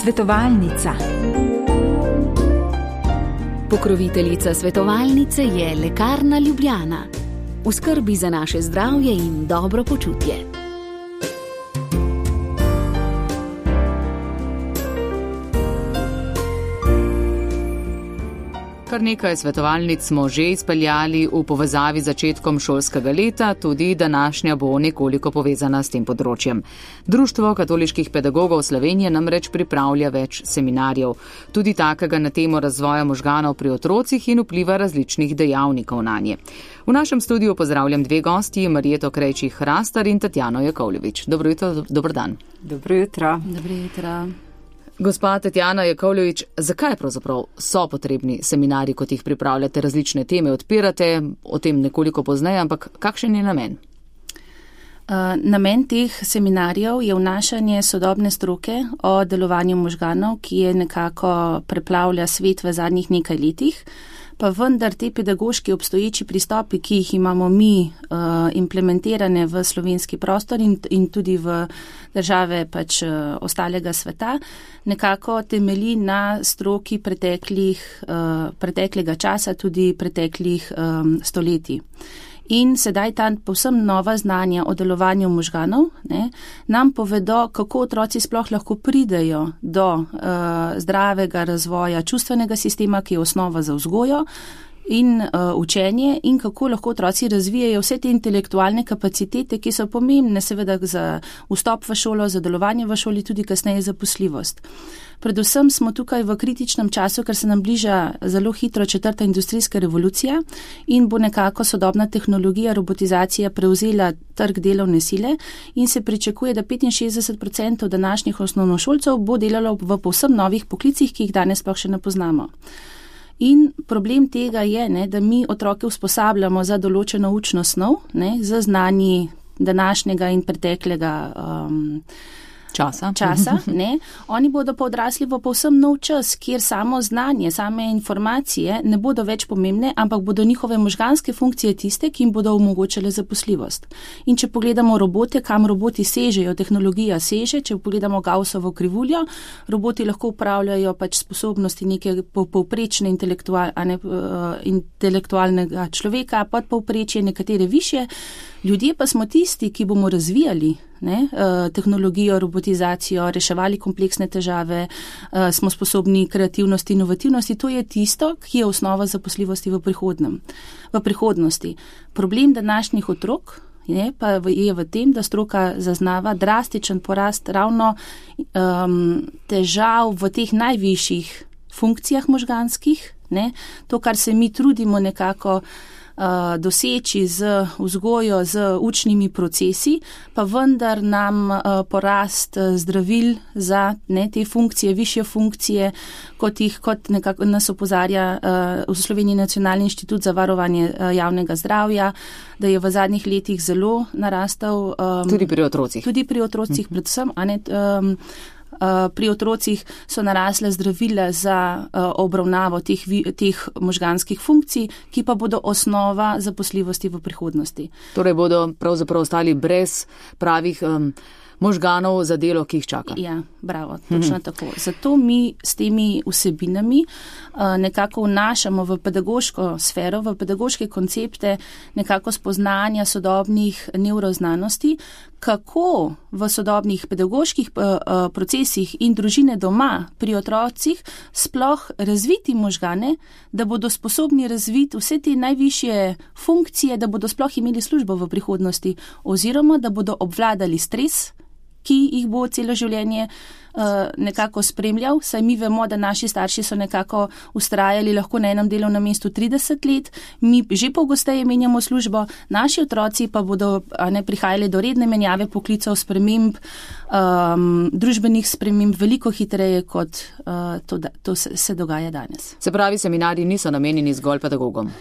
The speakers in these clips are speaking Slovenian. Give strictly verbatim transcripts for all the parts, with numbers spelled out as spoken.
Svetovalnica. Pokroviteljica svetovalnice je Lekarna Ljubljana. V skrbi za naše zdravje in dobro počutje. Kar nekaj svetovalnic smo že izpeljali v povezavi z začetkom šolskega leta, tudi današnja bo nekoliko povezana s tem področjem. Društvo katoliških pedagogov Slovenije namreč pripravlja več seminarjev, tudi takega na temo razvoja možganov pri otrocih in vpliva različnih dejavnikov nanje. V našem studiu pozdravljam dve gosti, Marjeto Krejčih-Hrastar in Tatjano Jakovljevič. Dobro jutro, dober dan. Dobro jutro. Dobro jutro. Gospa Tatjana Jakovljevič, zakaj pravzaprav so potrebni seminarji, kot jih pripravljate, različne teme odpirate, o tem nekoliko pozneje, ampak kakšen je namen? Uh, namen teh seminarjev je vnašanje sodobne stroke o delovanju možganov, ki je nekako preplavlja svet v zadnjih nekaj letih, pa vendar te pedagoški obstoječi pristopi, ki jih imamo mi uh, implementirane v slovenski prostor in, in tudi v države pač uh, ostalega sveta, nekako temelji na stroki preteklih, uh, preteklega časa, tudi preteklih um, stoletij. In sedaj ta povsem nova znanja o delovanju možganov ne, nam povedo, kako otroci sploh lahko pridejo do uh, zdravega razvoja čustvenega sistema, ki je osnova za vzgojo in uh, učenje, in kako lahko otroci razvijajo vse te intelektualne kapacitete, ki so pomembne seveda za vstop v šolo, za delovanje v šoli, tudi kasneje zaposljivost. Predvsem smo tukaj v kritičnem času, ker se nam bliža zelo hitro četrta industrijska revolucija in bo nekako sodobna tehnologija, robotizacija prevzela trg delovne sile in se pričakuje, da petinšestdeset procentov današnjih osnovnošolcev bo delalo v povsem novih poklicih, ki jih danes sploh še ne poznamo. In problem tega je, ne, da mi otroke usposabljamo za določeno učno snov, ne, za znanji današnjega in preteklega um, Časa. časa ne. Oni bodo pa odrasli v povsem nov čas, kjer samo znanje, same informacije ne bodo več pomembne, ampak bodo njihove možganske funkcije tiste, ki jim bodo omogočile zaposljivost. In če pogledamo robote, kam roboti sežejo, tehnologija seže, če pogledamo Gaussovo krivuljo, roboti lahko upravljajo pač sposobnosti neke povprečne intelektual, ne, uh, intelektualnega človeka, podpovprečje, nekatere višje. Ljudje pa smo tisti, ki bomo razvijali ne, tehnologijo, robotizacijo, reševali kompleksne težave, smo sposobni kreativnosti, inovativnosti. To je tisto, ki je osnova zaposljivosti v prihodnem. V prihodnosti. Problem današnjih otrok je pa je v tem, da stroka zaznava drastičen porast ravno um, težav v teh najvišjih funkcijah možganskih. Ne. To, kar se mi trudimo nekako Uh, doseči z vzgojo, z učnimi procesi, pa vendar nam uh, porast uh, zdravil za ne, te funkcije, višje funkcije, kot jih kot nekako nas opozarja uh, v Sloveniji Nacionalni inštitut za varovanje uh, javnega zdravja, da je v zadnjih letih zelo narastel. Um, tudi pri otrocih. Tudi pri otrocih, uh-huh. predvsem, a ne, um, pri otrocih so narasle zdravila za uh, obravnavo teh, teh možganskih funkcij, ki pa bodo osnova zaposljivosti v prihodnosti. Torej bodo pravzaprav ostali brez pravih um, možganov za delo, ki jih čaka. Ja, bravo, točno hmm. tako. Zato mi s temi vsebinami uh, nekako vnašamo v pedagoško sfero, v pedagoške koncepte nekako spoznanja sodobnih nevroznanosti, kako v sodobnih pedagoških uh, uh, procesih in družine doma pri otrocih sploh razviti možgane, da bodo sposobni razviti vse te najvišje funkcije, da bodo sploh imeli službo v prihodnosti oziroma da bodo obvladali stres, ki jih bo celo življenje uh, nekako spremljal. Saj mi vemo, da naši starši so nekako ustrajali lahko na enem delovnem mestu trideset let, mi že pogosteje menjamo službo, naši otroci pa bodo ne, prihajali do redne menjave poklicev, sprememb, um, družbenih sprememb veliko hitreje, kot uh, to, to se, se dogaja danes. Se pravi, seminarji niso namenjeni zgolj pedagogom?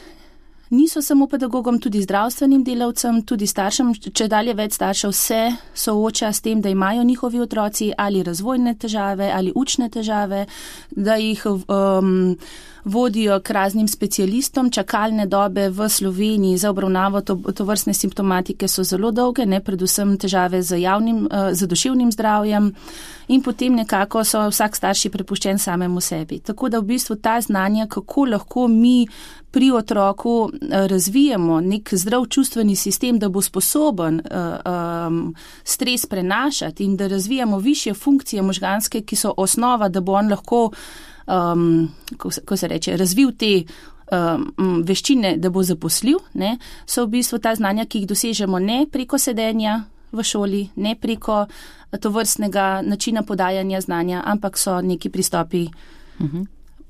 niso samo pedagogom, tudi zdravstvenim delavcem, tudi staršem, če dalje več staršev se sooča s tem, da imajo njihovi otroci ali razvojne težave ali učne težave, da jih um, vodijo k raznim specialistom. Čakalne dobe v Sloveniji za obravnavo to, to vrstne simptomatike so zelo dolge, ne, predvsem težave z, javnim, z duševnim zdravjem in potem nekako so vsak starši prepuščen samemu sebi. Tako da v bistvu ta znanja, kako lahko mi pri otroku razvijemo nek zdrav čustveni sistem, da bo sposoben uh, um, stres prenašati in da razvijamo višje funkcije možganske, ki so osnova, da bo on lahko Um, ko, se, ko se reče, razvil te um, veščine, da bo zaposljiv, ne, so v bistvu ta znanja, ki jih dosežemo ne preko sedenja v šoli, ne preko tovrstnega načina podajanja znanja, ampak so neki pristopi uh-huh.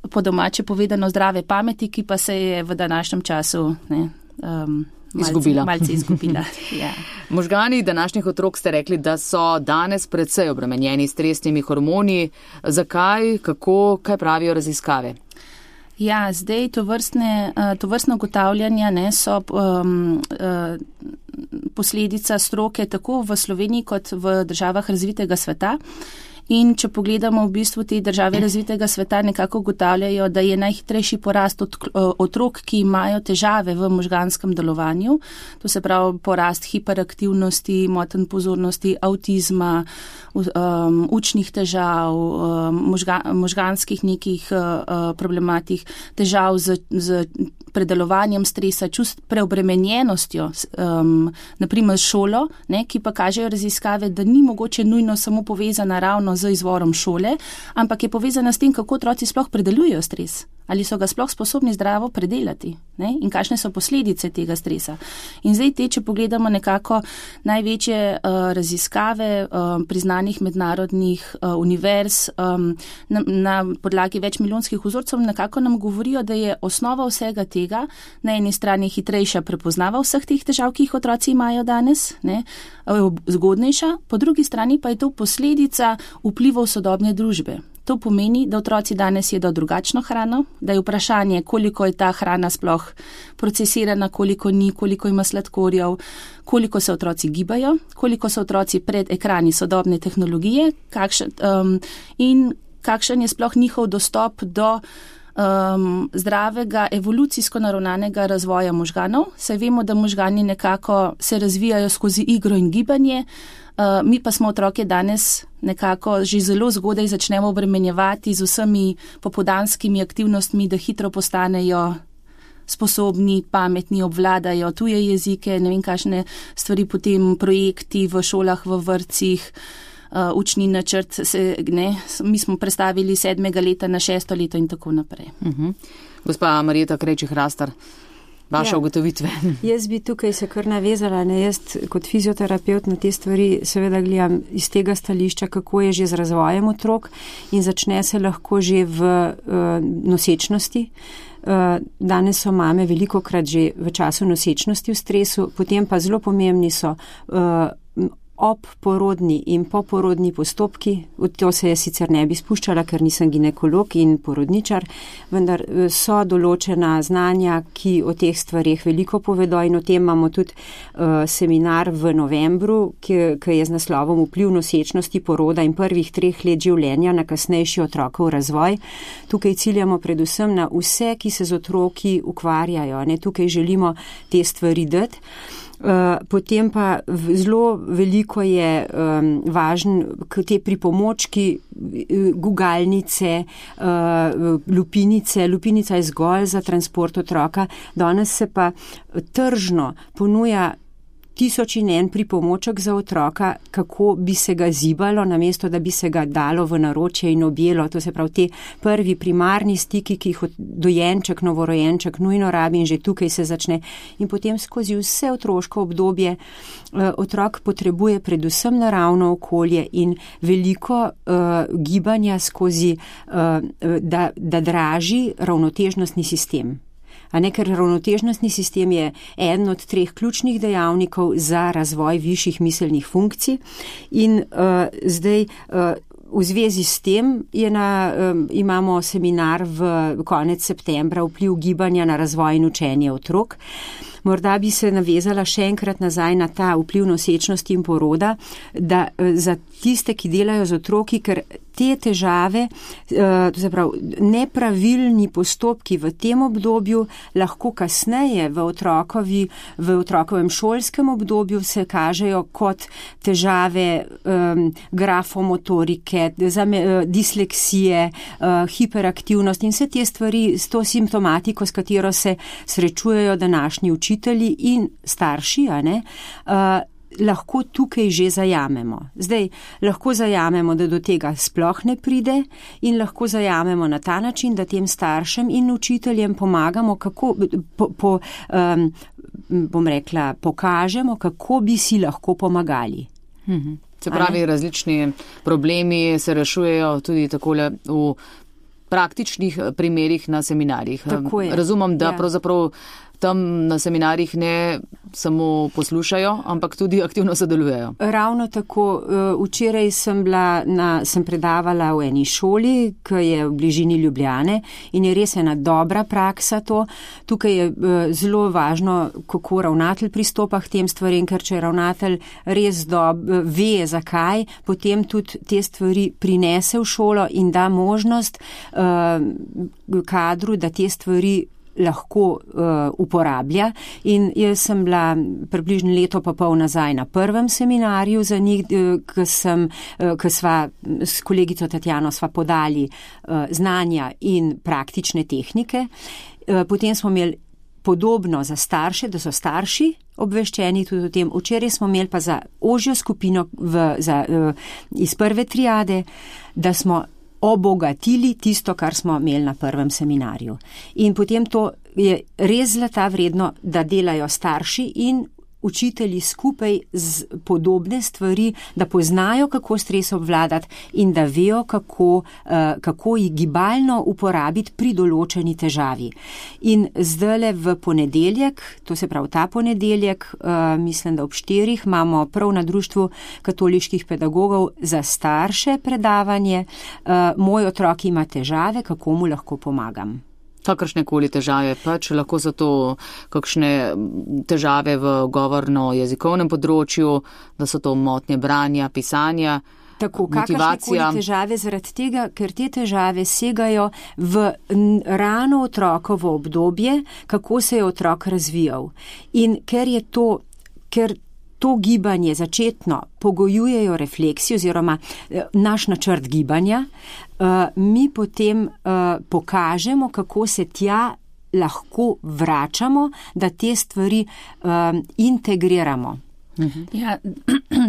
po domače povedano zdrave pameti, ki pa se je v današnjem času ne, um, malce izgubila. Malce izgubila. Ja. Možgani današnjih otrok ste rekli, da so danes predvsej obremenjeni s stresnimi hormoni. Zakaj, kako, kaj pravijo raziskave? Ja, zdaj to vrstne, to vrstne ugotavljanja ne, so um, posledica stroke tako v Sloveniji kot v državah razvitega sveta. In če pogledamo v bistvu te države razvitega sveta, nekako ugotavljajo, da je najhitrejši porast od, otrok, ki imajo težave v možganskem delovanju. To se pravi porast hiperaktivnosti, motenj pozornosti, avtizma, um, učnih težav, um, možga, možganskih nekih uh, problematik, težav z, z predelovanjem stresa, čust preobremenjenostjo, um, naprimer šolo, ne, ki pa kažejo raziskave, da ni mogoče nujno samo povezana ravno z izvorom šole, ampak je povezana s tem, kako otroci sploh predelujejo stres. Ali so ga sploh sposobni zdravo predelati, ne? In kakšne so posledice tega stresa. In zdaj te, če pogledamo nekako največje uh, raziskave uh, priznanih mednarodnih uh, univerz um, na, na podlagi več milijonskih vzorcev, nekako nam govorijo, da je osnova vsega tega na eni strani hitrejša prepoznava vseh teh težav, ki jih otroci imajo danes, ne? Zgodnejša, po drugi strani pa je to posledica vplivov sodobne družbe. To pomeni, da otroci danes jedo drugačno hrano, da je vprašanje, koliko je ta hrana sploh procesirana, koliko ni, koliko ima sladkorjev, koliko se otroci gibajo, koliko so otroci pred ekrani sodobne tehnologije kakšen, um, in kakšen je sploh njihov dostop do um, zdravega, evolucijsko naravnanega razvoja možganov. Saj vemo, da možgani nekako se razvijajo skozi igro in gibanje. Uh, mi pa smo otroke danes nekako že zelo zgodaj začnemo obremenjevati z vsemi popoldanskimi aktivnostmi, da hitro postanejo sposobni, pametni, obvladajo tuje jezike, ne vem kakšne stvari, potem projekti v šolah, v vrtcih, uh, učni načrt, se, ne, mi smo prestavili sedmega leta na šesto leto in tako naprej. Uh-huh. Gospa Marjeta Krejčih-Hrastar, vaše ja. ugotovitve. Jaz bi tukaj se kar navezala, ne, jaz kot fizioterapeut na te stvari seveda gledam iz tega stališča, kako je že z razvojem otrok in začne se lahko že v uh, nosečnosti. Uh, danes so mame velikokrat že v času nosečnosti v stresu, potem pa zelo pomembni so uh, obporodni in poporodni postopki. V to se je sicer ne bi spuščala, ker nisem ginekolog in porodničar, vendar so določena znanja, ki o teh stvarih veliko povedo in o tem imamo tudi uh, seminar v novembru, ki, ki je z naslovom Vpliv nosečnosti, poroda in prvih treh let življenja na kasnejši otrokov razvoj. Tukaj ciljamo predvsem na vse, ki se z otroki ukvarjajo. Ne? Tukaj želimo te stvari dati. Uh, potem pa zelo veliko je um, važen te pripomočki, gugalnice, uh, lupinice. Lupinica je zgolj za transport otroka. Danes se pa tržno ponuja tisoč in en pripomoček za otroka, kako bi se ga zibalo, namesto da bi se ga dalo v naročje in objelo. To se pravi te prvi primarni stiki, ki jih dojenček, novorojenček nujno rabi in že tukaj se začne. In potem skozi vse otroško obdobje uh, otrok potrebuje predvsem naravno okolje in veliko uh, gibanja skozi, uh, da, da draži ravnotežnostni sistem. A ne, ker ravnotežnostni sistem je eden od treh ključnih dejavnikov za razvoj višjih miselnih funkcij in uh, zdaj uh, v zvezi s tem je na, um, imamo seminar v konec septembra vpliv gibanja na razvoj in učenje otrok. Morda bi se navezala še enkrat nazaj na ta vpliv nosečnosti in poroda, da za tiste, ki delajo z otroki, ker te težave, to se pravi, nepravilni postopki v tem obdobju lahko kasneje v, otrokovi, v otrokovem šolskem obdobju se kažejo kot težave um, grafomotorike, zame, disleksije, uh, hiperaktivnost in vse te stvari s to simptomatiko, s katero se srečujejo današnji učitelji in starši, a ne, uh, lahko tukaj že zajamemo. Zdaj, lahko zajamemo, da do tega sploh ne pride in lahko zajamemo na ta način, da tem staršem in učiteljem pomagamo, kako, po, po, um, bom rekla, pokažemo, kako bi si lahko pomagali. Mhm. Se pravi, različni problemi se rešujejo tudi takole v praktičnih primerih na seminarjih. Razumem, da ja. pravzaprav tam na seminarjih ne samo poslušajo, ampak tudi aktivno sodelujejo. Ravno tako. Včeraj sem bila na, sem predavala v eni šoli, ki je v bližini Ljubljane in je res ena dobra praksa to. Tukaj je zelo važno, kako ravnatelj pristopa k tem stvarem, ker če ravnatelj res dob, ve, zakaj, potem tudi te stvari prinese v šolo in da možnost uh, kadru, da te stvari lahko uh, uporablja. In jaz sem bila približno leto pa pol nazaj na prvem seminarju za njih, uh, ki sem, uh, ki sva s kolegico Tatjano sva podali uh, znanja in praktične tehnike. Uh, potem smo imeli podobno za starše, da so starši obveščeni tudi o tem. Včeraj smo imeli pa za ožjo skupino v, za, uh, iz prve triade, da smo obogatili tisto, kar smo imeli na prvem seminarju. In potem to je res zlata vredno, da delajo starši in učitelji skupaj z podobne stvari, da poznajo, kako stres obvladati in da vejo, kako, uh, kako jih gibalno uporabiti pri določeni težavi. In zdajle v ponedeljek, to se pravi ta ponedeljek, uh, mislim, da ob štirih, imamo prav na Društvu katoliških pedagogov za starše predavanje. Uh, moj otrok ima težave, kako mu lahko pomagam. Kakršne koli težave, pač lahko so to kakšne težave v govorno-jezikovnem področju, da so to motnje branja, pisanja, tako, motivacija. Tako, težave zaradi tega, ker te težave segajo v rano otrokovo obdobje, kako se je otrok razvijal. In ker je to, ker to gibanje začetno pogojujejo refleksij oziroma naš načrt gibanja, mi potem pokažemo, kako se tja lahko vračamo, da te stvari integriramo. Ja,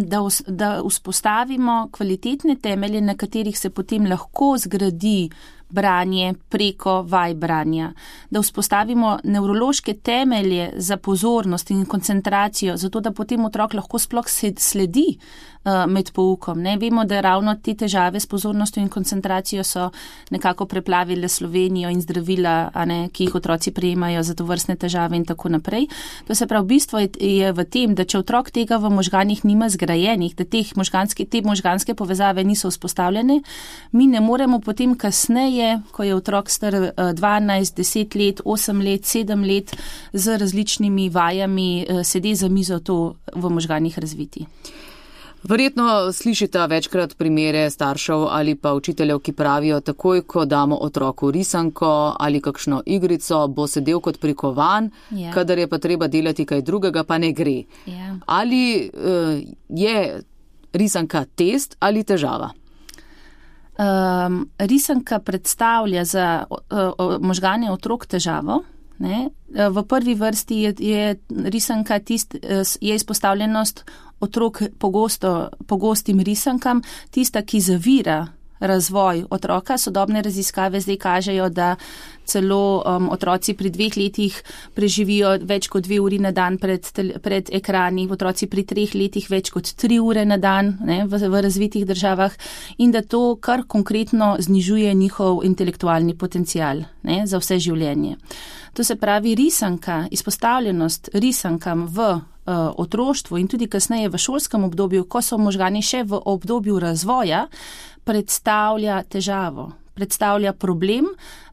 da, da vzpostavimo kvalitetne temelje, na katerih se potem lahko zgradi branje preko vaj branja, da vzpostavimo nevrološke temelje za pozornost in koncentracijo, zato da potem otrok lahko sploh sledi uh, med poukom. Ne? Vemo, da ravno te težave s pozornostjo in koncentracijo so nekako preplavile Slovenijo in zdravila, a ne, ki jih otroci prejemajo za tovrstne težave in tako naprej. To se pravi, bistvo je, je v tem, da če otrok tega v možganih nima zgrajenih, da teh možganske, te možganske povezave niso vzpostavljene, mi ne moremo potem kasneje, ko je otrok star dvanajst, deset let, osem let, sedem let, z različnimi vajami sedi za mizo to v možganih razviti. Verjetno slišite večkrat primere staršev ali pa učiteljev, ki pravijo, takoj, ko damo otroku risanko ali kakšno igrico, bo sedel kot prikovan, yeah. kadar je pa treba delati kaj drugega, pa ne gre. Yeah. Ali uh, je risanka test ali težava? Um, risanka predstavlja za uh, možgane otrok težavo. Ne? V prvi vrsti je, je risanka tist, je izpostavljenost otrok pogosto, pogostim risankam, tista, ki zavira razvoj otroka. Sodobne raziskave zdaj kažejo, da celo um, otroci pri dveh letih preživijo več kot dve uri na dan pred, pred ekrani, otroci pri treh letih več kot tri ure na dan, ne, v, v razvitih državah, in da to kar konkretno znižuje njihov intelektualni potencial, ne, za vse življenje. To se pravi, risanka, izpostavljenost risankam v uh, otroštvu in tudi kasneje v šolskem obdobju, ko so možgani še v obdobju razvoja, predstavlja težavo. Predstavlja problem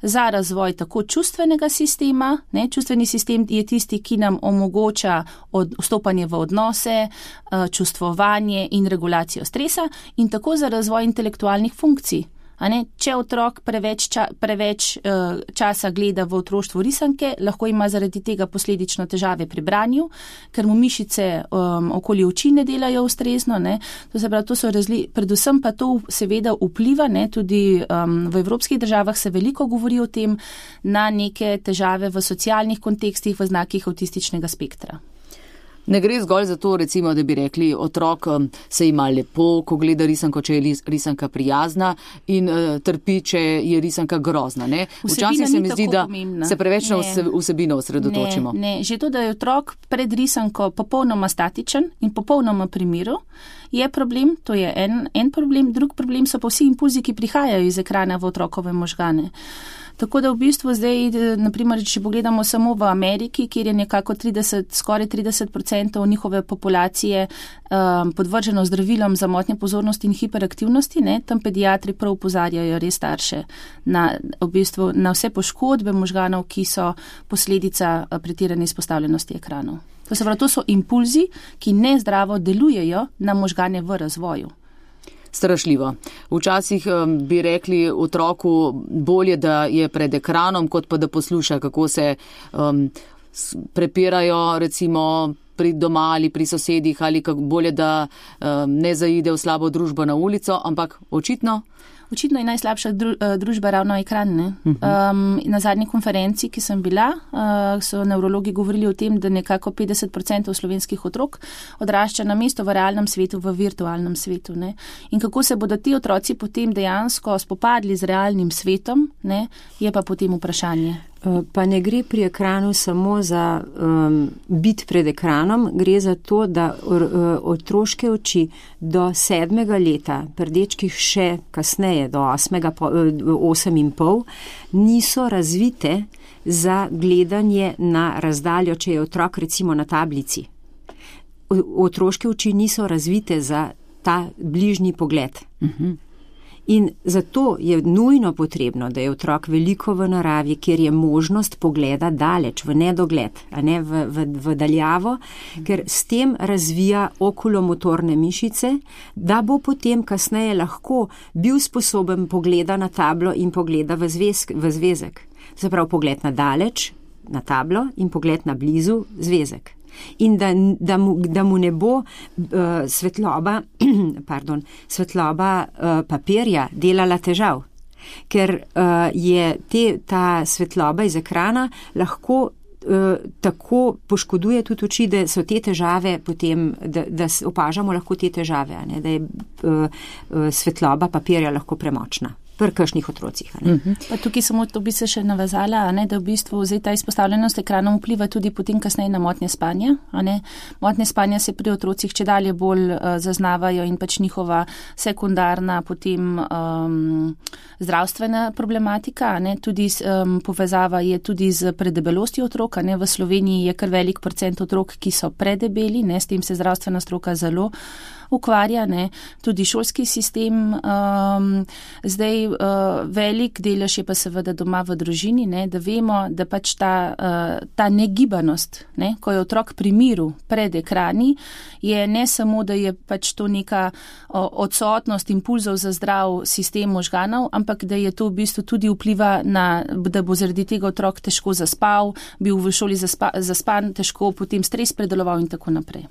za razvoj tako čustvenega sistema. Ne? Čustveni sistem je tisti, ki nam omogoča od, vstopanje v odnose, čustvovanje in regulacijo stresa in tako za razvoj intelektualnih funkcij. A ne? Če otrok preveč, ča, preveč uh, časa gleda v otroštvu risanke, lahko ima zaradi tega posledično težave pri branju, ker mu mišice um, okoli oči ne delajo ustrezno. Ne? To se pravi, to so razli... Predvsem pa to seveda vpliva, ne? Tudi um, v evropskih državah se veliko govori o tem, na neke težave v socialnih kontekstih, v znakih avtističnega spektra. Ne gre zgolj za to, recimo, da bi rekli, otrok se ima lepo, ko gleda risanko, če je risanka prijazna in uh, trpi, če je risanka grozna. Ne? Včasih se mi zdi, da pomembna. Se preveč na vsebino osredotočimo. Ne, ne, že to, da je otrok pred risanko popolnoma statičen in popolnoma pri miru, je problem, to je en, en problem, drug problem so pa vsi impulzi, ki prihajajo iz ekrana v otrokove možgane. Tako da v bistvu zdaj, naprimer, če pogledamo samo v Ameriki, kjer je nekako trideset, skoraj trideset odstotkov njihove populacije um, podvrženo zdravilom za motnje pozornosti in hiperaktivnosti, ne, tam pediatri prav opozarjajo res starše na, v bistvu, na vse poškodbe možganov, ki so posledica pretirane izpostavljenosti ekranov. To se pravi, to so impulzi, ki nezdravo delujejo na možgane v razvoju. Strašljivo. Včasih um, bi rekli otroku bolje, da je pred ekranom, kot pa da posluša, kako se um, prepirajo recimo pri doma ali pri sosedih ali kako bolje, da um, ne zaide v slabo družbo na ulico, ampak očitno. Očitno je najslabša družba ravno ekran. Ne? Um, na zadnji konferenci, ki sem bila, uh, so nevrologi govorili o tem, da nekako petdeset odstotkov slovenskih otrok odrašča na mesto v realnem svetu, v virtualnem svetu. Ne? In kako se bodo ti otroci potem dejansko spopadli z realnim svetom, ne? Je pa potem vprašanje. Pa ne gre pri ekranu samo za um, biti pred ekranom, gre za to, da or, otroške oči do sedmega leta, pri dečkih še kasneje, do osmega, osem in pol, niso razvite za gledanje na razdaljo, če je otrok recimo na tablici. Otroške oči niso razvite za ta bližnji pogled. Uh-huh. In zato je nujno potrebno, da je otrok veliko v naravi, kjer je možnost pogleda daleč, v nedogled, a ne v, v, v daljavo, ker s tem razvija okulomotorne mišice, da bo potem kasneje lahko bil sposoben pogleda na tablo in pogleda v, zvezk, v zvezek. Zaprav pogled na daleč, na tablo in pogled na blizu zvezek. In da, da, mu, da mu ne bo uh, svetloba, pardon, svetloba uh, papirja delala težav, ker uh, je te, ta svetloba iz ekrana lahko uh, tako poškoduje tudi oči, da so te težave potem, da, da opažamo lahko te težave, a ne, da je uh, uh, svetloba papirja lahko premočna. Pri kakšnih otrocih. Uh-huh. Pa tukaj samo to bi se še navezala, a ne, da v bistvu zdaj ta izpostavljenost ekranom vpliva tudi potem kasneje na motnje spanja. A ne. Motnje spanja se pri otrocih čedalje bolj uh, zaznavajo in pač njihova sekundarna potem um, zdravstvena problematika. A ne. Tudi um, povezava je tudi z predebelostjo otrok. A ne. V Sloveniji je kar velik procent otrok, ki so predebeli, ne. S tem se zdravstvena stroka zelo ukvarja, ne. Tudi šolski sistem um, zdaj uh, velik delež je pa seveda doma v družini, ne, da vemo, da pač ta, uh, ta negibanost, ne, ko je otrok pri miru pred ekrani, je ne samo, da je pač to neka uh, odsotnost impulzov za zdrav sistem možganov, ampak da je to v bistvu tudi vpliva na, da bo zaradi tega otrok težko zaspal, bil v šoli zaspa, zaspan, težko potem stres predeloval in tako naprej.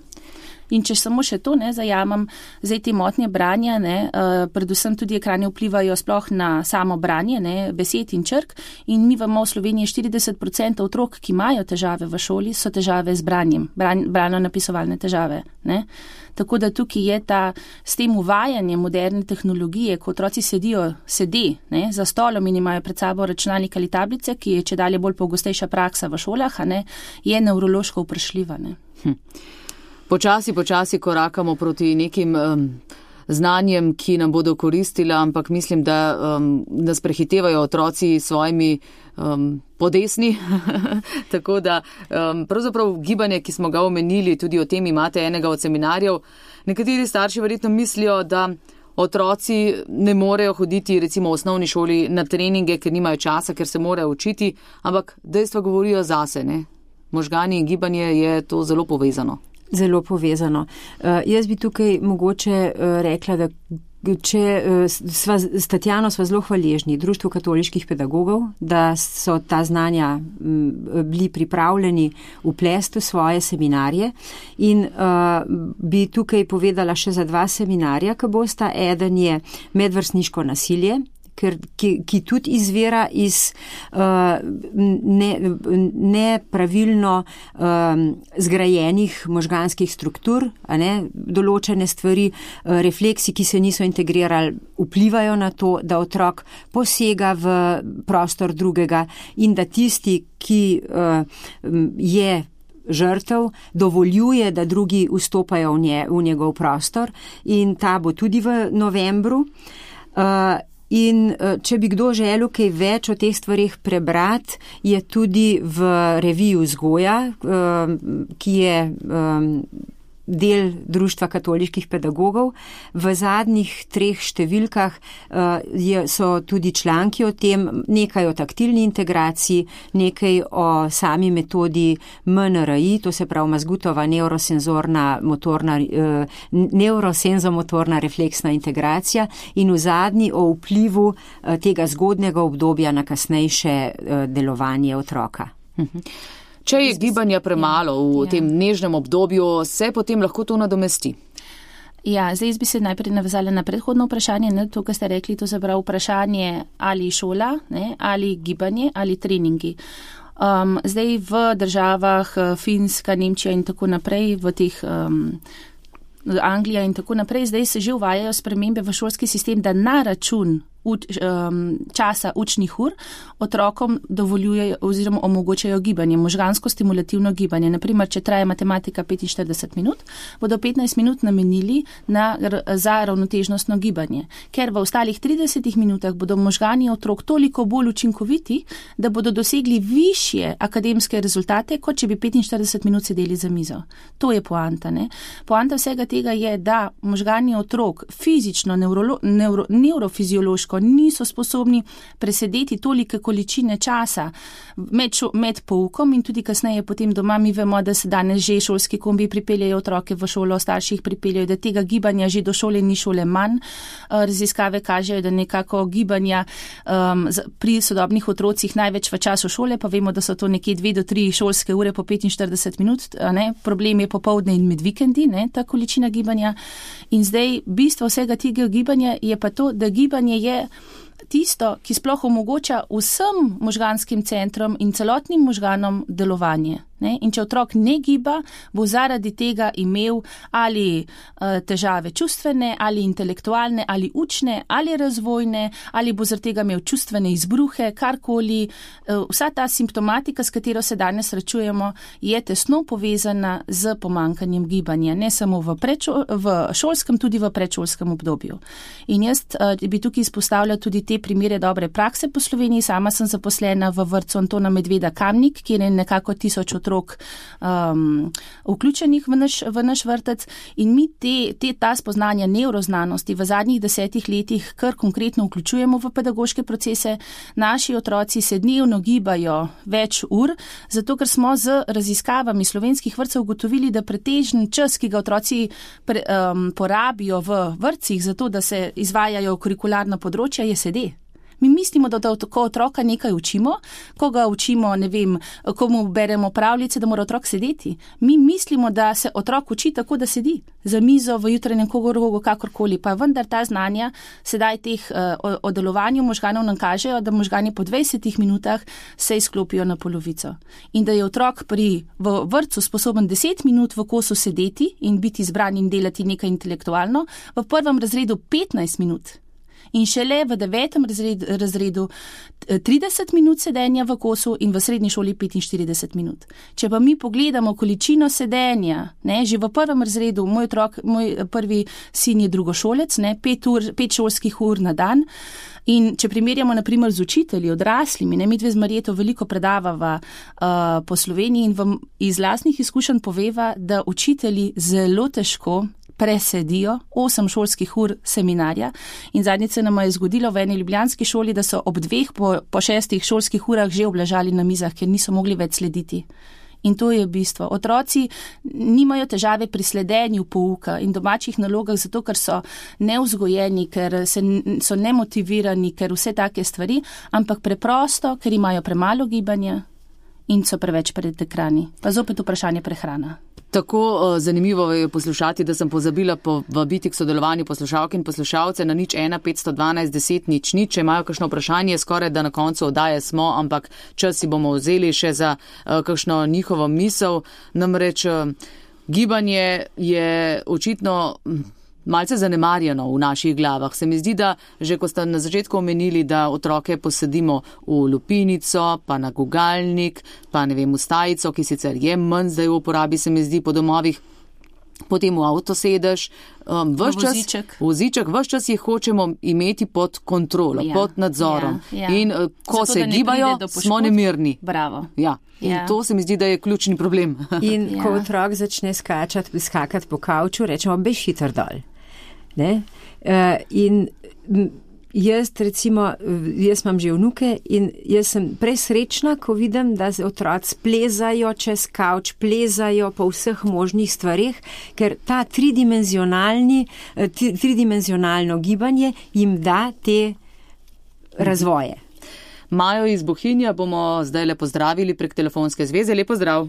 In če samo še to ne zajamem, zdaj te motnje branja, ne, uh, predvsem tudi ekrani vplivajo sploh na samo branje, ne, besed in črk in mi vemo v Sloveniji štirideset odstotkov otrok, ki imajo težave v šoli, so težave z branjem, bran, bralno-napisovalne težave. Ne. Tako da tukaj je ta, s tem uvajanjem moderne tehnologije, ko otroci sedijo, sedi ne, za stolom in imajo pred sabo računalnik ali tablice, ki je čedalje bolj pogostejša praksa v šolah, a ne, je nevrološko vprašljiva. Ne. Hm. Počasi, počasi korakamo proti nekim um, znanjem, ki nam bodo koristila, ampak mislim, da um, nas prehitevajo otroci s svojimi um, podesni. Tako da um, pravzaprav gibanje, ki smo ga omenili, tudi o tem imate enega od seminarjev. Nekateri starši verjetno mislijo, da otroci ne morejo hoditi recimo v osnovni šoli na treninge, ker nimajo časa, ker se morajo učiti, ampak dejstva govorijo zase, ne? Možgani in gibanje je to zelo povezano. Zelo povezano. Uh, jaz bi tukaj mogoče uh, rekla, da če uh, sva, s Tatjano sva zelo hvaležni Društvu katoliških pedagogov, da so ta znanja m, bili pripravljeni vplesti v svoje seminarje in uh, bi tukaj povedala še za dva seminarja, ki bosta. Eden je medvrstniško nasilje, Ker, ki, ki tudi izvira iz uh, ne, nepravilno um, zgrajenih možganskih struktur, a ne, določene stvari, uh, refleksi, ki se niso integrirali, vplivajo na to, da otrok posega v prostor drugega in da tisti, ki uh, je žrtev, dovoljuje, da drugi vstopajo v, nje, v njegov prostor in ta bo tudi v novembru. Uh, In če bi kdo želel kaj več o teh stvarih prebrati, je tudi v reviji Vzgoja, ki je del Društva katoliških pedagogov. V zadnjih treh številkah uh, so tudi članki o tem, nekaj o taktilni integraciji, nekaj o sami metodi M N R I, to se pravi mazgutova neurosenzorna motorna, uh, neurosenzomotorna refleksna integracija in v zadnji o vplivu uh, tega zgodnega obdobja na kasnejše uh, delovanje otroka. Mhm. Če je gibanja premalo v ja. tem nežnem obdobju, se potem lahko to nadomesti? Ja, zdaj bi se najprej navezala na predhodno vprašanje, ne, to, kar ste rekli, to se pravi vprašanje ali šola, ne, ali gibanje, ali treningi. Um, zdaj v državah Finska, Nemčija in tako naprej, v teh um, Anglija in tako naprej, zdaj se že uvajajo spremembe v šolski sistem, da na račun Uč, um, časa učnih ur otrokom dovoljujejo oziroma omogočajo gibanje, možgansko stimulativno gibanje. Naprimer, če traja matematika petinštirideset minut, bodo petnajst minut namenili na, za ravnotežnostno gibanje. Ker v ostalih tridesetih minutah bodo možgani otrok toliko bolj učinkoviti, da bodo dosegli višje akademske rezultate, kot če bi petinštirideset minut sedeli za mizo. To je poanta, ne? Poanta vsega tega je, da možgani otrok fizično, neuro, neuro, neurofiziološko niso sposobni presedeti tolike količine časa med, šo, med poukom in tudi kasneje potem doma. Mi vemo, da se danes že šolski kombi pripeljajo otroke v šolo, starši jih pripeljajo, da tega gibanja že do šole ni šole manj. Raziskave kažejo, da nekako gibanja um, pri sodobnih otrocih največ v času šole, pa vemo, da so to nekje dve do tri šolske ure po petinštirideset minut. Ne? Problem je popoldne in med vikendi, ne? Ta količina gibanja. In zdaj bistvo vsega tega gibanja je pa to, da gibanje je tisto, ki sploh omogoča vsem možganskim centrom in celotnim možganom delovanje. Ne? In če otrok ne giba, bo zaradi tega imel ali uh, težave čustvene, ali intelektualne, ali učne, ali razvojne, ali bo zaradi tega imel čustvene izbruhe, karkoli. Uh, vsa ta simptomatika, s katero se danes srečujemo, je tesno povezana z pomankanjem gibanja, ne samo v, prečo, v šolskem, tudi v predšolskem obdobju. In jaz uh, bi tukaj izpostavljal tudi te primere dobre prakse po Sloveniji. Sama sem zaposlena v vrtcu Antona Medveda Kamnik, kjer je nekako tisoč otrok Um, vključenih v naš, v naš vrtec in mi te, te, ta spoznanja neuroznanosti v zadnjih desetih letih kar konkretno vključujemo v pedagoške procese. Naši otroci se dnevno gibajo več ur, zato ker smo z raziskavami slovenskih vrtcev ugotovili, da pretežen čas, ki ga otroci pre, um, porabijo v vrtcih, zato da se izvajajo kurikularna področja, je sede. Mi mislimo, da, da ko otroka nekaj učimo, ko ga učimo, ne vem, ko mu beremo pravljice, da mora otrok sedeti. Mi mislimo, da se otrok uči tako, da sedi za mizo v jutranjem krogu, kakorkoli. Pa vendar ta znanja sedaj teh uh, o delovanju možganov nam kažejo, da možgani po dvajsetih minutah se izklopijo na polovico. In da je otrok pri v vrtcu sposoben deset minut v kosu sedeti in biti zbran in delati nekaj intelektualno, v prvem razredu petnajst minut. In šele v devetem razred, razredu trideset minut sedenja v kosu in v srednji šoli petinštirideset minut. Če pa mi pogledamo količino sedenja, ne, že v prvem razredu, moj otrok, moj prvi sin je drugošolec, ne, pet, ur, pet šolskih ur na dan. In če primerjamo naprimer z učitelji, odraslimi, ne, mi dve z Marjeto veliko predavava uh, po Sloveniji in vam iz lastnih izkušenj poveva, da učitelji zelo težko presedijo osem šolskih ur seminarja in zadnjič se nam je zgodilo v eni ljubljanski šoli, da so ob dveh po, po šestih šolskih urah že obležali na mizah, ker niso mogli več slediti. In to je bistvo. Otroci nimajo težave pri sledenju pouka in domačih nalogah, zato ker so nevzgojeni, ker se, so nemotivirani, ker vse take stvari, ampak preprosto, ker imajo premalo gibanja in so preveč pred ekrani. Pa zopet vprašanje prehrana. Tako uh, zanimivo je poslušati, da sem pozabila povabiti k sodelovanju poslušalk in poslušalce na nič ena petsto dvanajst deset nič nič. Če imajo kakšno vprašanje, skoraj da na koncu oddaje smo, ampak čas si bomo vzeli še za uh, kakšno njihovo misel. Namreč uh, gibanje je očitno malce zanemarjeno v naših glavah. Se mi zdi, da že ko ste na začetku omenili, da otroke posedimo v lupinico, pa na gugalnik, pa ne vem, v stajico, ki sicer je manj zdaj v uporabi, se mi zdi, po domovih, potem v avto sedeš, um, v voziček, voziček, vse čas jih hočemo imeti pod kontrolo, ja, pod nadzorom. Ja, ja. In uh, ko Zato, se gibajo, smo nemirni. Bravo. Ja. In ja. To se mi zdi, da je ključni problem. In ja. ko otrok začne skačati, skakati po kavču, rečemo, bež hitro dol. Ne? Uh, in jaz, recimo, jaz imam že vnuke in jaz sem presrečna, ko vidim, da otroci plezajo čez kavč, plezajo po vseh možnih stvarih, ker ta tridimenzionalni, tridimenzionalno gibanje jim da te razvoje. Majo iz Bohinja bomo zdaj le pozdravili prek telefonske zveze. Lep pozdrav.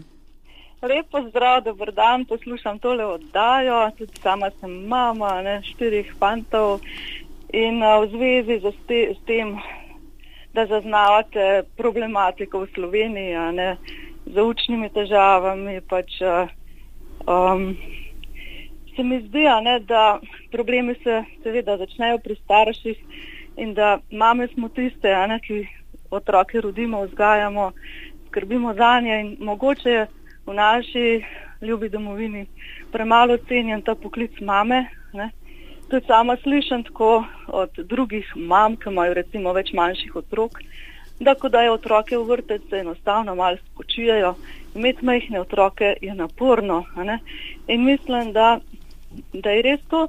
Lep pozdrav, dober dan, poslušam tole oddajo, tudi sama sem mama, ne, štirih fantov in uh, v zvezi z, te, z tem, da zaznavate problematiko v Sloveniji, ne, z učnimi težavami, pač uh, um, se mi zdi, ne, da problemi se seveda začnejo pri starših in da mame smo tiste, ne, ki otroke rodimo, vzgajamo, skrbimo zanje in mogoče je v naši ljubi domovini premalo cenjen ta poklic mame. Ne. Tudi sama slišam tako od drugih mam, ki imajo recimo več manjših otrok, da ko dajo otroke v vrtec, se enostavno malo spočijajo. Imeti majhne otroke je naporno. Ne. In mislim, da, da je res to,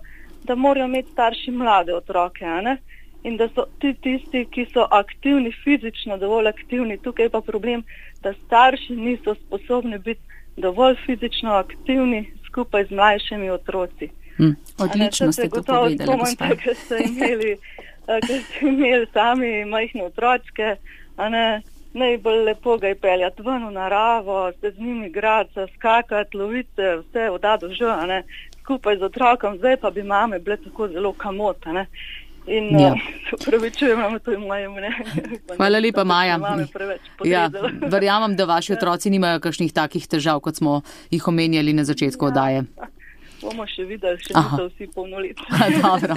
da morajo imeti starši mlade otroke. Ne. In da so ti tisti, ki so aktivni, fizično dovolj aktivni. Tukaj pa problem, da starši niso sposobni biti dovolj fizično aktivni skupaj z mlajšimi otroci. Hmm. Odlično ste to povedali, gospa. Ker ste imeli, ker ste imeli sami majhne otročke, a ne, najbolj lepo ga je peljati ven v naravo, se z njimi igrati, skakati, loviti, vse od A do Ž, a ne, skupaj z otrokom. Zdaj pa bi mame bile tako zelo kamot, a ne. In ja. uh, upravičujem, imamo to in moje mnenje. Hvala lepa, Maja. Ja, verjamem, da vaši otroci nimajo kakšnih takih težav, kot smo jih omenjali na začetku ja. oddaje. Bomo še videli, še niso vsi polnoletni. Dobro,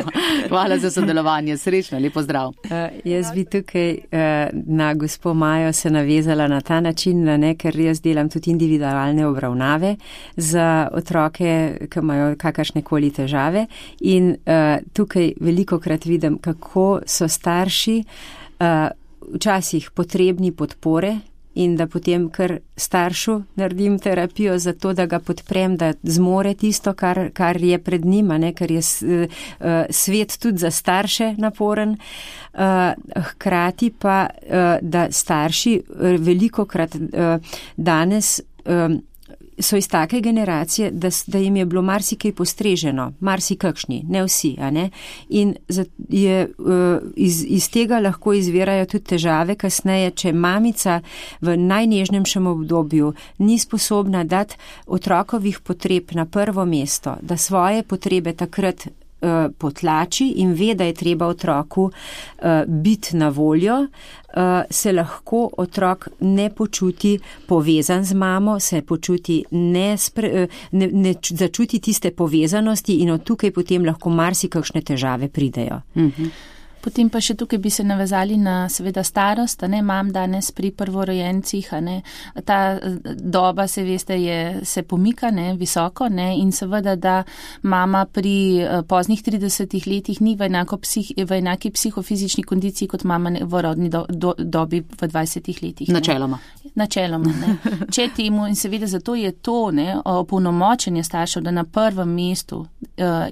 hvala za sodelovanje. Srečno, lep pozdrav. Uh, jaz bi tukaj uh, na gospo Majo se navezala na ta način, ne, ker jaz delam tudi individualne obravnave za otroke, ki imajo kakršnekoli težave. In uh, tukaj velikokrat vidim, kako so starši uh, včasih potrebni podpore, in da potem kar staršu naredim terapijo za to, da ga podprem, da zmore tisto, kar, kar je pred njima, ne, ker je uh, svet tudi za starše naporen. Uh, hkrati pa, uh, da starši velikokrat uh, danes um, so iz take generacije, da, da jim je bilo marsikaj postreženo, marsikakšni, ne vsi, a ne? In je, iz, iz tega lahko izvirajo tudi težave kasneje, če mamica v najnežnejšem obdobju ni sposobna dati otrokovih potreb na prvo mesto, da svoje potrebe takrat potlači in ve, da je treba otroku uh, biti na voljo, uh, se lahko otrok ne počuti povezan z mamo, se počuti ne, spre, ne, ne začuti tiste povezanosti in od tukaj potem lahko marsikakšne težave pridejo. Mm-hmm. Potem pa še tukaj bi se navezali na seveda starost, a ne, imam danes pri prvorojencih, a ne, ta doba se veste je, se pomika, ne, visoko, ne, in seveda, da mama pri poznih tridesetih letih ni v, enako psih, v enaki psihofizični kondiciji kot mama v rodni do, do, dobi v dvajsetih letih. Ne. Načeloma. Načeloma, ne. Če temu, in seveda zato je to, ne, opolnomočenje staršev, da na prvem mestu uh,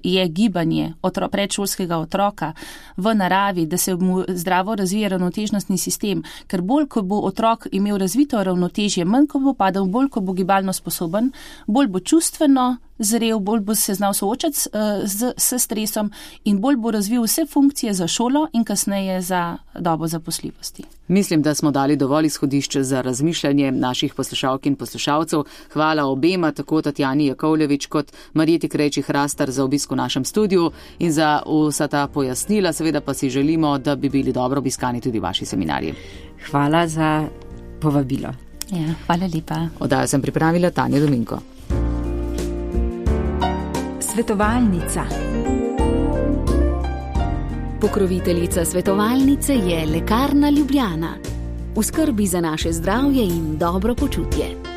je gibanje otro, predšolskega otroka v naravi, da se mu zdravo razvije ravnotežnostni sistem, ker bolj, ko bo otrok imel razvito ravnotežje, manj, ko bo padal, bolj, ko bo gibalno sposoben, bolj bo čustveno zrel, bolj bo se znal soočati s, s, s stresom in bolj bo razvil vse funkcije za šolo in kasneje za dobo zaposljivosti. Mislim, da smo dali dovolj izhodišče za razmišljanje naših poslušalk in poslušalcev. Hvala obema, tako Tatjani Jakovljevič kot Marjeti Krejčih-Hrastar za obisk v našem studiu in za vsa ta pojasnila. Seveda pa si želimo, da bi bili dobro obiskani tudi vaši seminarji. Hvala za povabilo. Ja, hvala lepa. Oddajo sem pripravila Tanja Dominko. Svetovalnica. Pokroviteljica svetovalnice je Lekarna Ljubljana. V skrbi za naše zdravje in dobro počutje.